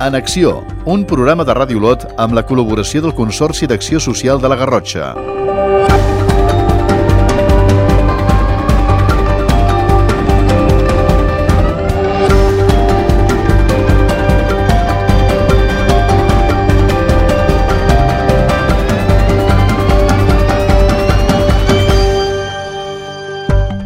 En Acció, un programa de Ràdio Olot amb la col·laboració del Consorci d'Acció Social de la Garrotxa.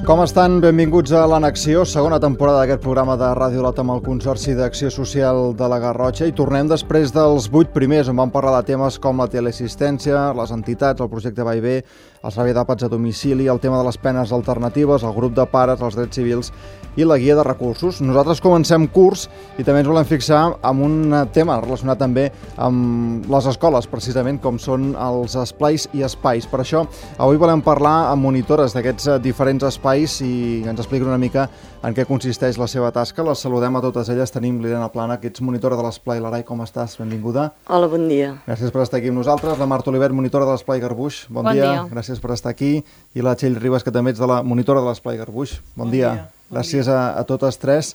Com estan? Benvinguts a l'Anacció, segona temporada d'aquest programa de Ràdio Olot amb el Consorci d'Acció Social de la Garrotxa, i tornem després dels 8 primers, on vam parlar de temes com la teleassistència, les entitats, el projecte Va i Ve, el servei d'àpats a domicili, el tema de les penes alternatives, el grup de pares, els drets civils i la guia de recursos. Nosaltres comencem curs i també ens volem fixar en un tema relacionat també amb les escoles, precisament, com són els esplais i espais. Per això, avui volem parlar amb monitores d'aquests diferents espais i ens expliquen una mica en què consisteix la seva tasca. Les saludem a totes elles. Tenim l'Irene Plana, que ets monitora de l'Esplai L'Arai. Com estàs? Benvinguda. Hola, bon dia. Gràcies per estar aquí amb nosaltres. La Marta Olivet, monitora de l'Esplai Garbuix. Bon dia. Gràcies per estar aquí. I la Txell Ribas, que també ets de la monitora de l'Esplai Garbuix. Bon dia. Gràcies a totes tres.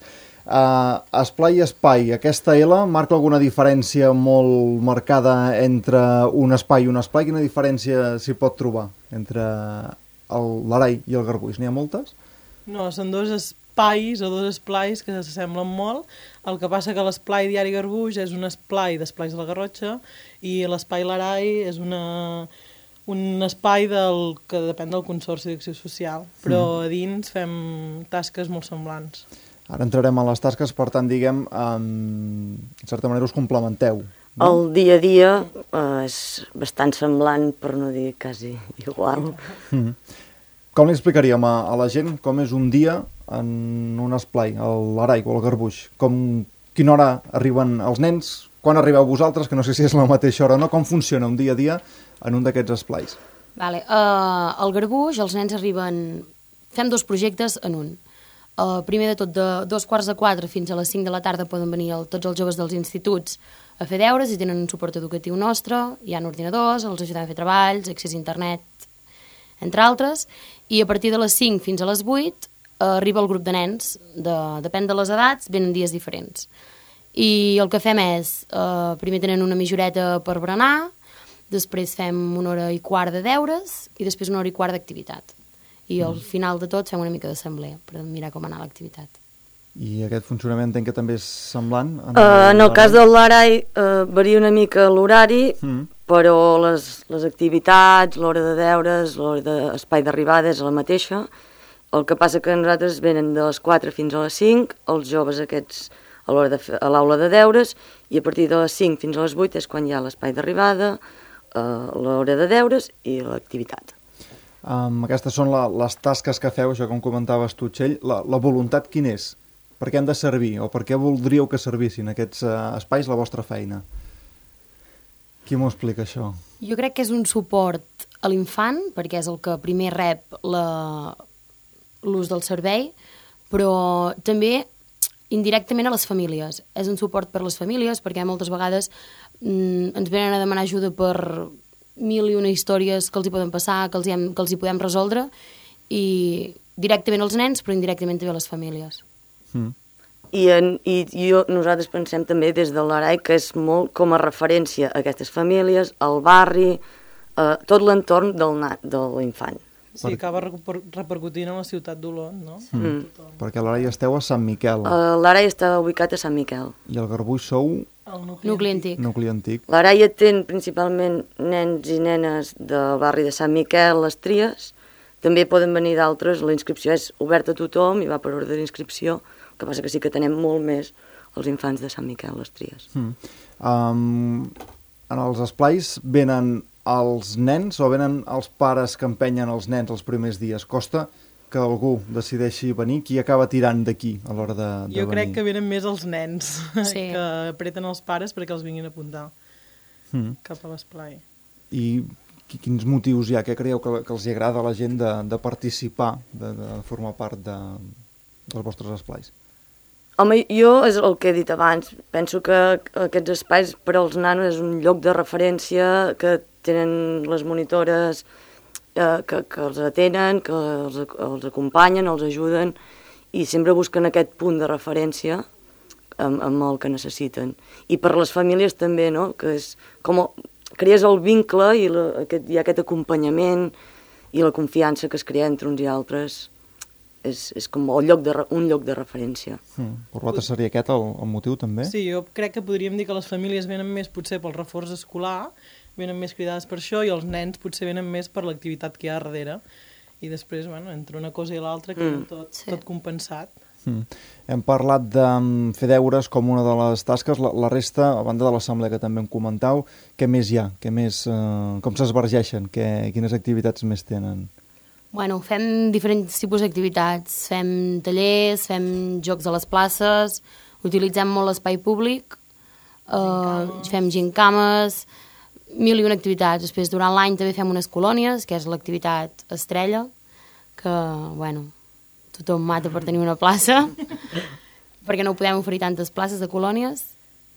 Esplai i espai, aquesta L marca alguna diferència molt marcada entre un espai i un esplai? Quina diferència s'hi pot trobar entre l'Arai i el Garbuix? N'hi ha moltes? No, són dos espais o dos esplais que s'assemblen molt. El que passa que l'esplai Diari Garbuix és un esplai d'esplais de la Garrotxa i l'espai L'Arai és un espai que depèn del Consorci d'Acció Social, però a dins fem tasques molt semblants. Ara entrarem a les tasques, per tant, diguem, en certa manera us complementeu. No? El dia a dia és bastant semblant, per no dir quasi igual. Com li explicaríem a la gent com és un dia en un esplai, a l'Arai o al Garbuix? Quina hora arriben els nens? Quan arribeu vosaltres? Que no sé si és la mateixa hora o no. Com funciona un dia a dia en un d'aquests esplais? Al Garbuix els nens arriben... Fem dos projectes en un. Primer de tot, de 3:45 fins a les 5 de la tarda poden venir tots els joves dels instituts a fer deures i tenen un suport educatiu nostre, hi ha ordinadors, els ajudem a fer treballs, accés a internet, entre altres, i a partir de les 5 fins a les 8 arriba el grup de nens, depèn de les edats, venen dies diferents. I el que fem és, primer tenen una mitja horeta per berenar, després fem 1h15 de deures i després 1h15 d'activitat. I al final de tot fem una mica d'assemblea per mirar com anar l'activitat. I aquest funcionament entenc que també és semblant? En el cas de l'Arai varia una mica l'horari, però les activitats, l'hora de deures, l'hora d'espai d'arribada és la mateixa. El que passa que nosaltres venen de les 4 fins a les 5, els joves aquests a l'aula de deures, i a partir de les 5 fins a les 8 és quan hi ha l'espai d'arribada, l'hora de deures i l'activitat. Aquestes són les tasques que feu, això com comentaves tu, Txell. La voluntat quina és? Per què han de servir? O per què voldríeu que servissin aquests espais la vostra feina? Qui m'ho explica, això? Jo crec que és un suport a l'infant, perquè és el que primer rep l'ús del servei, però també indirectament a les famílies. És un suport per a les famílies, perquè moltes vegades ens venen a demanar ajuda per 1000 i una històries que els hi poden passar, que els hi podem resoldre, i directament als nens, però indirectament també a les famílies. Nosaltres pensem també des de l'Arai que és molt com a referència a aquestes famílies, al barri, tot l'entorn de l'infant. Sí, acaba repercutint a la ciutat d'Olot, no? Perquè a l'Arai esteu a Sant Miquel. L'Arai està ubicat a Sant Miquel. I al Garbuix sou... El nucli antic. L'Arai atén principalment nens i nenes del barri de Sant Miquel, les Tries. També poden venir d'altres, la inscripció és oberta a tothom i va per ordre d'inscripció, el que passa que sí que tenem molt més els infants de Sant Miquel, les Tries. En els esplais venen els nens o venen els pares que empenyen els nens els primers dies? Costa que algú decideixi venir? Qui acaba tirant d'aquí a l'hora de venir? Jo crec que venen més els nens, que apreten els pares perquè els vinguin a apuntar cap a l'esplai. I quins motius hi ha? Què creieu que els agrada a la gent de participar, de formar part dels vostres esplais? Home, jo, és el que he dit abans, penso que aquests espais per als nanos és un lloc de referència que tenen les monitores que els atenen, que els acompanyen, els ajuden, i sempre busquen aquest punt de referència amb el que necessiten. I per les famílies també, no? Que és com crees el vincle i hi ha aquest acompanyament i la confiança que es crea entre uns i altres. És com un lloc de referència. Per vosaltres seria aquest el motiu, també? Sí, jo crec que podríem dir que les famílies venen més potser pel reforç escolar, venen més cridades per això, i els nens potser venen més per l'activitat que hi ha darrere. I després, entre una cosa i l'altra, queda tot compensat. Hem parlat de fer deures com una de les tasques. La resta, a banda de l'assemblea que també em comentau, què més hi ha? Com s'esvergeixen? Quines activitats més tenen? Bueno, fem diferents tipus d'activitats. Fem tallers, fem jocs a les places, utilitzem molt l'espai públic, fem gincames, 1001 activitats. Després, durant l'any també fem unes colònies, que és l'activitat estrella, que, tothom mata per tenir una plaça, perquè no podem oferir tantes places de colònies.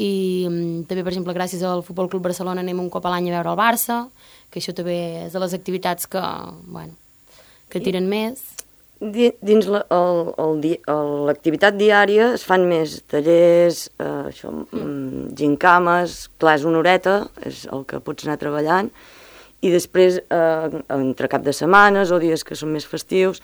I també, per exemple, gràcies al Futbol Club Barcelona anem un cop a l'any a veure el Barça, que això també és de les activitats que tiren més. Dins l'activitat diària es fan més tallers, gincames, clar, és una horeta, és el que pots anar treballant, i després, entre cap de setmanes o dies que són més festius,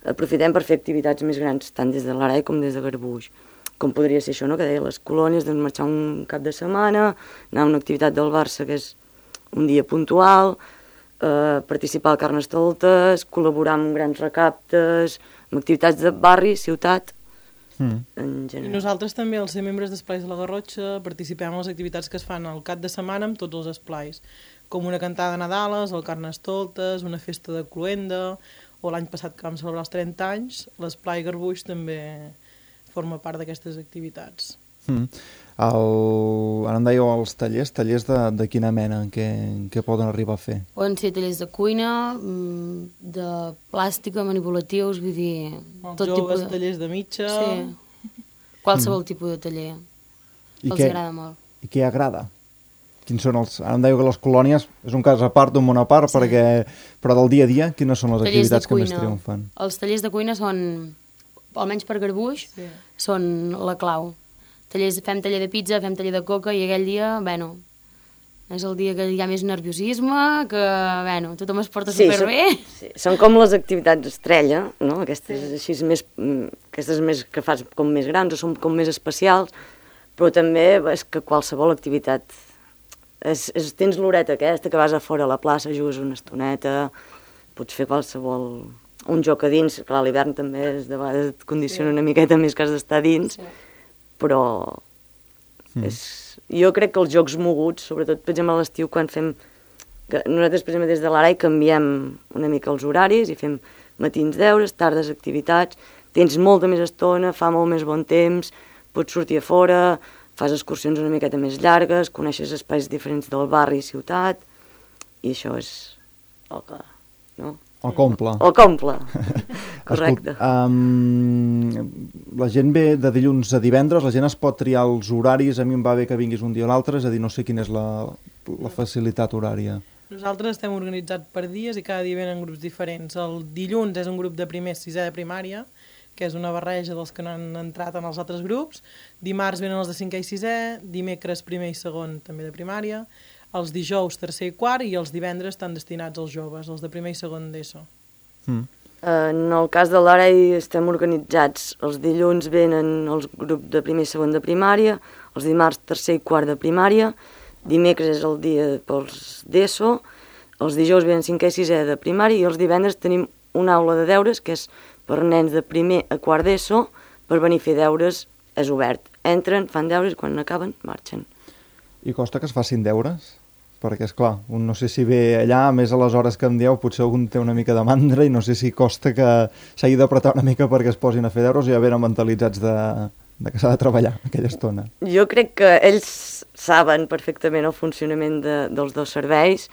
aprofitem per fer activitats més grans, tant des de l'Arai com des de Garbuix. Com podria ser això, no?, que deia les colònies, doncs marxar un cap de setmana, anar a una activitat del Barça, que és un dia puntual, participar al Carnestoltes, col·laborar amb grans recaptes, amb activitats de barri, ciutat, en general. I nosaltres també, al ser membres d'Esplais de la Garrotxa, participem en les activitats que es fan al cap de setmana amb tots els esplais, com una cantada de Nadales, el Carnestoltes, una festa de cloenda, o l'any passat que vam celebrar els 30 anys, l'esplai Garbuix també forma part d'aquestes activitats. Ara em dèieu els tallers de quina mena, què poden arribar a fer? Poden ser tallers de cuina, de plàstica, manipulatius, vull dir... Els joves, tallers de mitja... Sí, qualsevol tipus de taller. Els agrada molt. I què agrada? Quins són els... Ara em dèieu que les colònies és un cas a part, d'un món a part, però del dia a dia, quines són les activitats que més triomfen? Els tallers de cuina són, almenys per Garbuix, són la clau. Fem taller de pizza, fem taller de coca, i aquell dia, és el dia que hi ha més nerviosisme, que, tothom es porta superbé. Sí, són com les activitats estrella, no? Aquestes així més que fas com més grans o són com més especials, però també és que qualsevol activitat... Tens l'horeta aquesta, que vas a fora a la plaça, jugues una estoneta, pots fer qualsevol... Un joc a dins, clar, a l'hivern també de vegades et condiciona una miqueta més que has d'estar dins, però jo crec que els jocs moguts, sobretot, per exemple, a l'estiu, quan fem... Nosaltres, per exemple, des de l'Arai canviem una mica els horaris i fem matins deures, tardes activitats, tens molta més estona, fa molt més bon temps, pots sortir a fora, fas excursions una miqueta més llargues, coneixes espais diferents del barri i ciutat, i això és el que... no? El comple. El comple, correcte. La gent ve de dilluns a divendres, la gent es pot triar els horaris, a mi em va bé que vinguis un dia o l'altre, és a dir, no sé quina és la facilitat horària. Nosaltres estem organitzats per dies i cada dia venen grups diferents. El dilluns és un grup de primer, sisè de primària, que és una barreja dels que no han entrat en els altres grups. Dimarts venen els de 5è i 6è, dimecres primer i segon també de primària, els dijous tercer i quart, i els divendres estan destinats als joves, els de primer i segon d'ESO. En el cas de l'Arai estem organitzats. Els dilluns venen els grups de primer i segon de primària, els dimarts tercer i quart de primària, dimecres és el dia pels d'ESO, els dijous venen 5è i 6è de primària, i els divendres tenim una aula de deures que és per nens de primer a quart d'ESO, per venir a fer deures, és obert. Entren, fan deures i quan acaben marxen. I costa que es facin deures? Perquè, esclar, un no sé si ve allà, a més a les hores que em dieu, potser algun té una mica de mandra i no sé si costa que s'hagi d'apretar una mica perquè es posin a fer deures, o ja venen mentalitzats de que s'ha de treballar aquella estona. Jo crec que ells saben perfectament el funcionament dels dos serveis,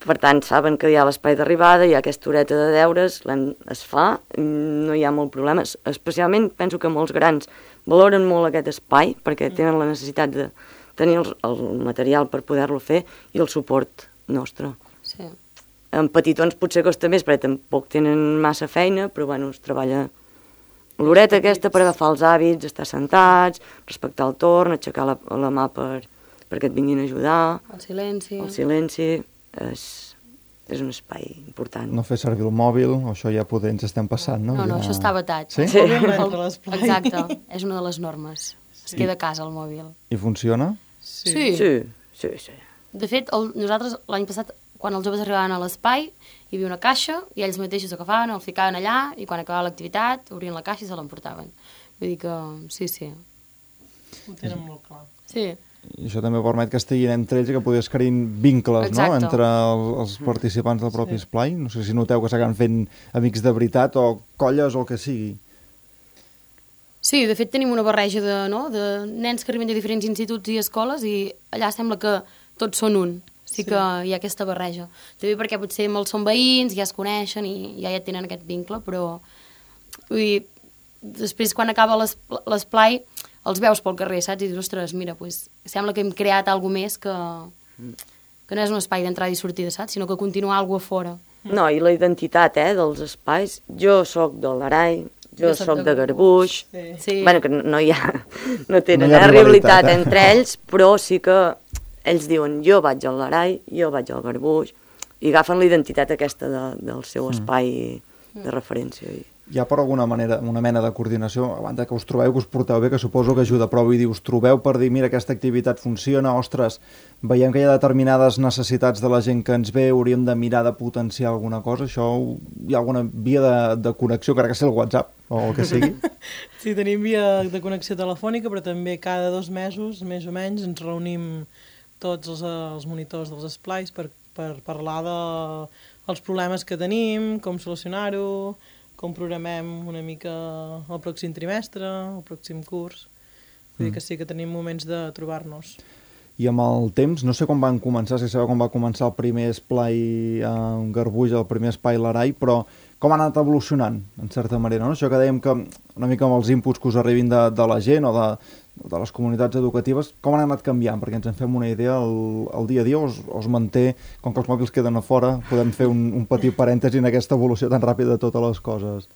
per tant, saben que hi ha l'espai d'arribada, hi ha aquesta horeta de deures, es fa, no hi ha molt problemes. Especialment, penso que molts grans valoren molt aquest espai, perquè tenen la necessitat de tenir el material per poder-lo fer i el suport nostre. Sí. En petitons potser costa més, perquè tampoc tenen massa feina, però bueno, es treballa l'horeta aquesta per agafar els hàbits, estar sentats, respectar el torn, aixecar la mà perquè et vinguin a ajudar. El silenci. El silenci és un espai important. No fer servir el mòbil, o això ja poder ens estem passant, no? No, això està vetat. Sí? Exacte, és una de les normes. Es queda a casa el mòbil. I funciona? Sí. De fet, nosaltres l'any passat, quan els joves arribaven a l'espai, hi havia una caixa i ells mateixos agafaven, el ficaven allà i quan acabava l'activitat obrien la caixa i se l'emportaven. Vull dir que sí. Ho tenen molt clar. Sí. I això també permet que estiguin entre ells i que podries crear vincles, no?, Exacte. entre els participants del propi esplai. No sé si noteu que s'acaben fent amics de veritat o colles o el que sigui. Sí, de fet tenim una barreja de nens que arriben de diferents instituts i escoles i allà sembla que tots són un. Sí que hi ha aquesta barreja. També perquè potser molts són veïns, ja es coneixen i ja tenen aquest vincle, però vull dir, després quan acaba l'esplai els veus pel carrer, saps? I dius, ostres, mira, pues, sembla que hem creat alguna més que no és un espai d'entrada i sortida, saps? Sinó que continua alguna cosa a fora. No, i la identitat dels espais. Jo sóc de l'Arai, jo sóc de Garbuix. Sí. Bueno, que no tenen No hi ha rivalitat rivalitat, entre ells, però sí que ells diuen jo vaig al l'Arai, jo vaig al Garbuix, i agafen la identitat aquesta del seu espai de referència. Hi ha per alguna manera una mena de coordinació, a banda que us trobeu, que us porteu bé, que suposo que ajuda, però vull dir, us trobeu per dir, mira, aquesta activitat funciona, ostres, veiem que hi ha determinades necessitats de la gent que ens ve, hauríem de mirar de potenciar alguna cosa, això, hi ha alguna via de connexió, crec que sigui el WhatsApp o el que sigui? Sí, tenim via de connexió telefònica, però també cada 2 mesos, més o menys, ens reunim tots els monitors dels esplais per parlar dels problemes que tenim, com solucionar-ho, com programem una mica el pròxim trimestre, el pròxim curs. Vull dir que sí que tenim moments de trobar-nos. I amb el temps, no sé com van començar, si sabeu com va començar el primer esplai en Garbuix, el primer espai l'Arai, però com ha anat evolucionant, en certa manera, no? Això que dèiem que una mica amb els inputs que us arribin de la gent o de les comunitats educatives, com han anat canviant? Perquè ens en fem una idea, el dia a dia o es manté, com que els mòbils queden a fora, podem fer un petit parèntesi en aquesta evolució tan ràpida de totes les coses.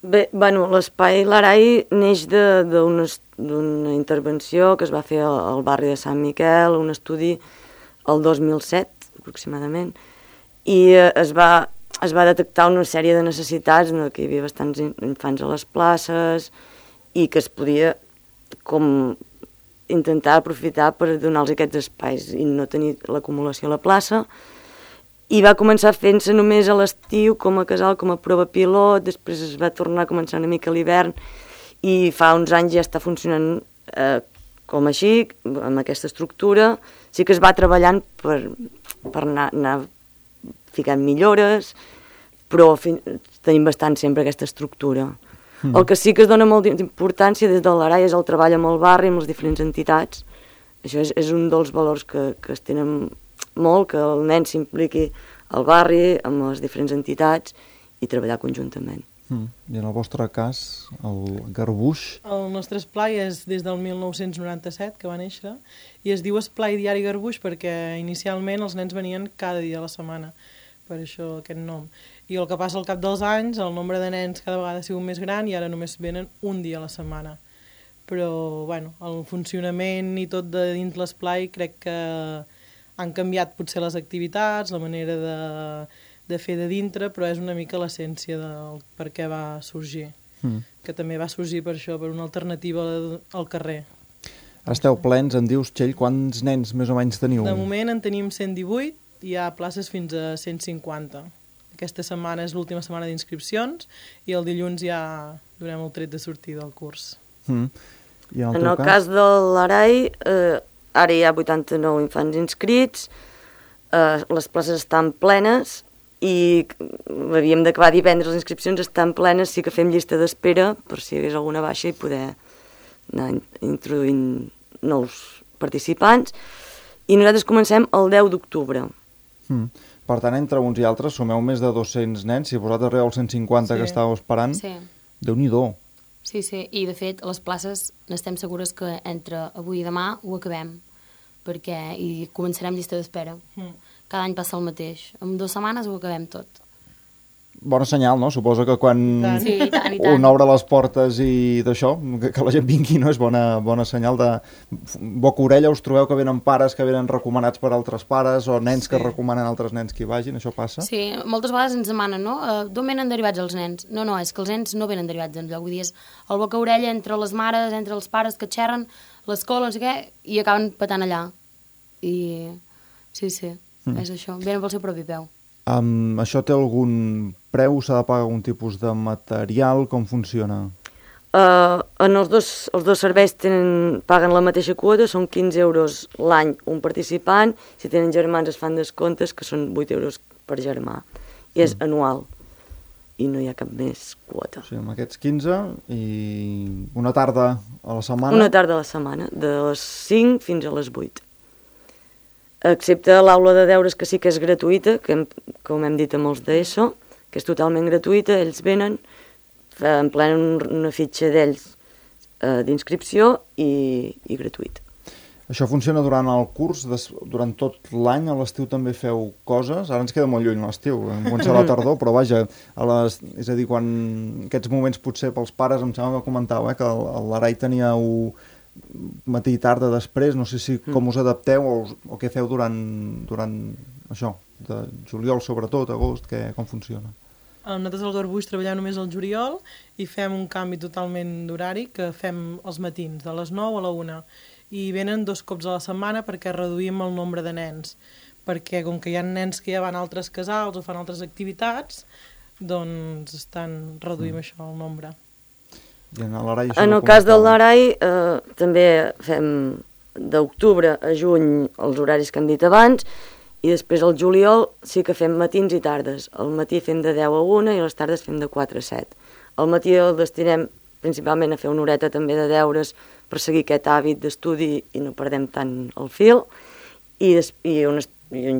Bé, bueno, l'espai l'Arai neix d'una intervenció que es va fer al barri de Sant Miquel, un estudi el 2007, aproximadament, i es va detectar una sèrie de necessitats, que hi havia bastants infants a les places i que es podia com intentar aprofitar per donar-los aquests espais i no tenir l'acumulació a la plaça. I va començar fent-se només a l'estiu com a casal, com a prova pilot, després es va tornar a començar una mica a l'hivern i fa uns anys ja està funcionant com així, amb aquesta estructura. Sí que es va treballant per anar ficant millores, però tenim bastant sempre aquesta estructura. El que sí que es dona molta importància des de l'Arai és el treball amb el barri, amb les diferents entitats. Això és un dels valors que es tenen molt, que el nen s'impliqui al barri, amb les diferents entitats i treballar conjuntament. I en el vostre cas, el Garbuix? El nostre esplai és des del 1997, que va néixer, i es diu Esplai Diari Garbuix perquè inicialment els nens venien cada dia a la setmana, per això aquest nom. I el que passa al cap dels anys, el nombre de nens cada vegada ha sigut més gran i ara només venen un dia a la setmana. Però, bueno, el funcionament i tot de dins l'esplai crec que han canviat potser les activitats, la manera de fer de dintre, però és una mica l'essència del per què va sorgir. Que també va sorgir per això, per una alternativa al carrer. Esteu plens, em dius, Txell, quants nens més o menys teniu? De moment en tenim 118, hi ha places fins a 150. Aquesta setmana és l'última setmana d'inscripcions i el dilluns ja donem el tret de sortida del curs. I en el cas de l'Arai, ara hi ha 89 infants inscrits, les places estan plenes i havíem d'acabar divendres, les inscripcions estan plenes, sí que fem llista d'espera per si hi hagués alguna baixa i poder anar introduint nous participants. I nosaltres comencem el 10 d'octubre. Per tant, entre uns i altres, sumeu més de 200 nens. Si vosaltres arribeu als 150 que estàveu esperant, Déu-n'hi-do. Sí, i de fet, les places n'estem segures que entre avui i demà ho acabem, i començarem llista d'espera. Cada any passa el mateix. En 2 setmanes ho acabem tot. bona senyal, no? Suposo que quan Sí, i tant. un obre les portes i d'això, que la gent vingui, no? És bona senyal de boca-orella. Us trobeu que venen pares que venen recomanats per altres pares o nens que recomanen altres nens que hi vagin, això passa? Sí, moltes vegades ens demanen, no? D'on venen derivats els nens? No, és que els nens no venen derivats enlloc, vull dir, és el boca-orella entre les mares, entre els pares que xerren, l'escola, no sé què, i acaben patant allà. I sí, és això, venen pel seu propi peu. Això té algun preu? S'ha de pagar algun tipus de material? Com funciona? En els dos serveis paguen la mateixa quota, són 15 euros l'any un participant. Si tenen germans es fan descomptes, que són 8 euros per germà. I és anual. I no hi ha cap més quota. Sí, amb aquests 15 i una tarda a la setmana? Una tarda a la setmana, de les 5 fins a les 8. Excepte l'aula de deures, que sí que és gratuïta, que com hem dit amb els d'ESO, que és totalment gratuïta, ells venen, emplenen una fitxa d'ells d'inscripció i gratuït. Això funciona durant el curs, durant tot l'any, a l'estiu també feu coses? Ara ens queda molt lluny l'estiu, comença la tardor, però vaja, és a dir, quan aquests moments potser pels pares, em sembla que comentava, que l'Arai tenia matí i tarda després, no sé si com us adapteu o què feu durant això, de juliol sobretot, agost, com funciona? Nosaltres al Garbuix treballem només al juliol i fem un canvi totalment d'horari, que fem els matins, de les 9 a la 1, i venen 2 cops a la setmana perquè reduïm el nombre de nens, perquè com que hi ha nens que ja van a altres casals o fan altres activitats, doncs reduïm això, el nombre. En el cas del l'Arai també fem d'octubre a juny els horaris que hem dit abans, i després al juliol sí que fem matins i tardes. Al matí fem de 10 a 1 i a les tardes fem de 4 a 7. Al matí el destinem principalment a fer una horeta també de deures per seguir aquest hàbit d'estudi i no perdem tant el fil, i uns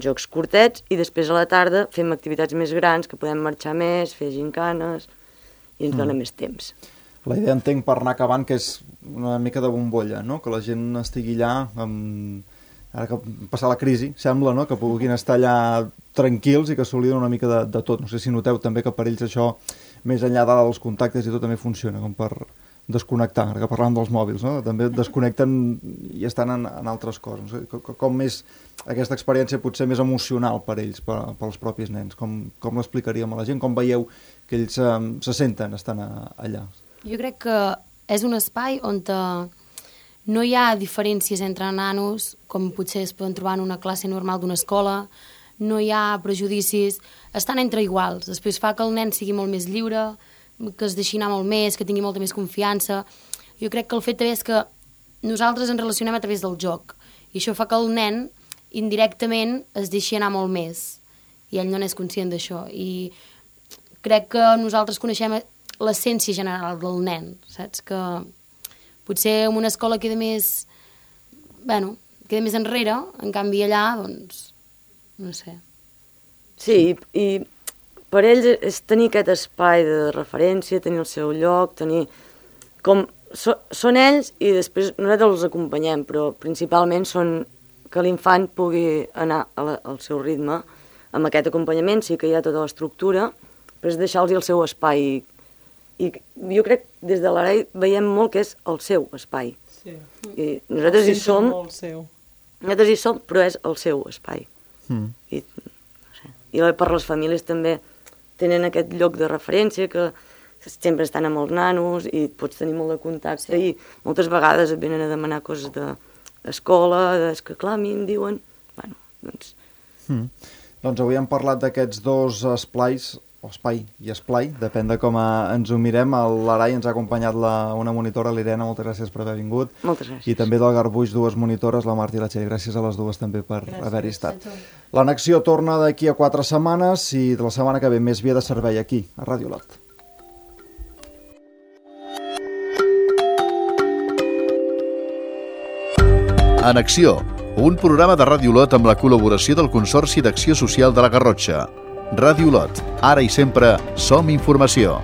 jocs curtets, i després a la tarda fem activitats més grans, que podem marxar més, fer gincanes, i ens dona més temps. La idea, entenc, per anar acabant, que és una mica de bombolla, no? Que la gent estigui allà, ara que passa la crisi, sembla, no? Que puguin estar allà tranquils i que s'obliden una mica de tot. No sé si noteu també que per ells això, més enllà dels contactes i tot, també funciona, com per desconnectar, ara que parlàvem dels mòbils, no? També desconnecten i estan en altres coses. No sé, com és aquesta experiència potser més emocional per ells, pels propis nens? Com l'explicaríem a la gent? Com veieu que ells se senten estant allà? Jo crec que és un espai on no hi ha diferències entre nanos, com potser es poden trobar en una classe normal d'una escola, no hi ha prejudicis, estan entre iguals. Després fa que el nen sigui molt més lliure, que es deixi anar molt més, que tingui molta més confiança. Jo crec que el fet també és que nosaltres ens relacionem a través del joc, i això fa que el nen indirectament es deixi anar molt més, i ell no n'és conscient d'això. I crec que nosaltres coneixem l'essència general del nen, saps? Que potser en una escola queda més enrere, en canvi allà, doncs, no sé. Sí, i per ells és tenir aquest espai de referència, tenir el seu lloc, tenir són ells, i després nosaltres els acompanyem, però principalment són que l'infant pugui anar al seu ritme, amb aquest acompanyament sí que hi ha tota l'estructura, però és deixar-los el seu espai. I jo crec que des de l'Arai veiem molt que és el seu espai. Sí. I nosaltres hi som, però és el seu espai. I per les famílies també tenen aquest lloc de referència, que sempre estan amb els nanos i pots tenir molt de contacte, i moltes vegades et venen a demanar coses d'escola, és que clar, a mi em diuen... Doncs avui hem parlat d'aquests dos esplais, o espai i esplai, depèn de com ens ho mirem. L'Arai ens ha acompanyat una monitora, l'Irene, moltes gràcies per haver vingut. Moltes gràcies. I també del Garbuix, 2 monitores, la Marta i la Txell. Gràcies a les dues també per haver-hi estat. L'annexió torna d'aquí a 4 setmanes i de la setmana que ve més via de servei aquí, a Ràdio Lot. Annexió, un programa de Ràdio Lot amb la col·laboració del Consorci d'Acció Social de la Garrotxa. Ràdio Lot, ara i sempre som informació.